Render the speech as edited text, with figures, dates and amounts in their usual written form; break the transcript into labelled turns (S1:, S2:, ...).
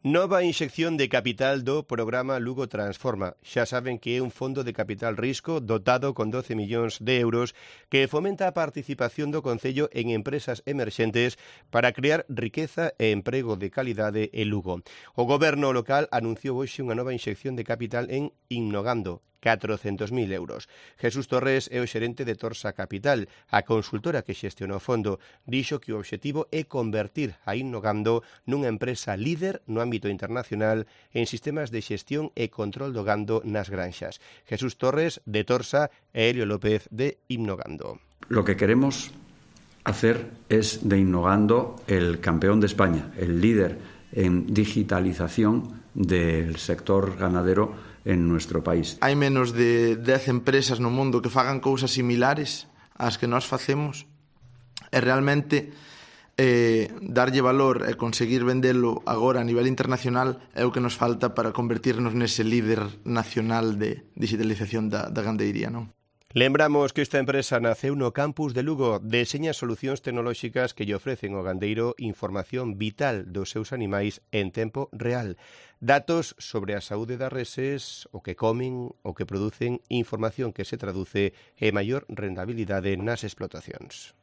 S1: Nova inxección de capital do programa Lugo Transforma. Xa saben que é un fondo de capital risco dotado con 12 millóns de euros que fomenta a participación do Concello en empresas emerxentes para crear riqueza e emprego de calidade en Lugo. O goberno local anunciou hoxe unha nova inxección de capital en Innogando, 400.000 euros. Jesús Torres é o xerente de Torsa Capital. A consultora que xestiona o fondo dixo que o obxectivo é convertir a Innogando nunha empresa líder no ámbito internacional en sistemas de xestión e control do gando nas granxas. Jesús Torres de Torsa e Helio López de Innogando.
S2: Lo que queremos hacer es de Innogando el campeón de España, el líder en digitalización del sector ganadero en nuestro país.
S3: Hai menos de 10 empresas no mundo que fagan cousas similares ás que nós facemos e realmente darlle valor e conseguir vendelo agora a nivel internacional é o que nos falta para convertirnos nese líder nacional de digitalización da gandeiría, non?
S1: Lembramos que esta empresa naceu no campus de Lugo, deseña solucións tecnolóxicas que lle ofrecen ao gandeiro información vital dos seus animais en tempo real. Datos sobre a saúde das reses, o que comen, o que producen, información que se traduce en maior rentabilidade nas explotacións.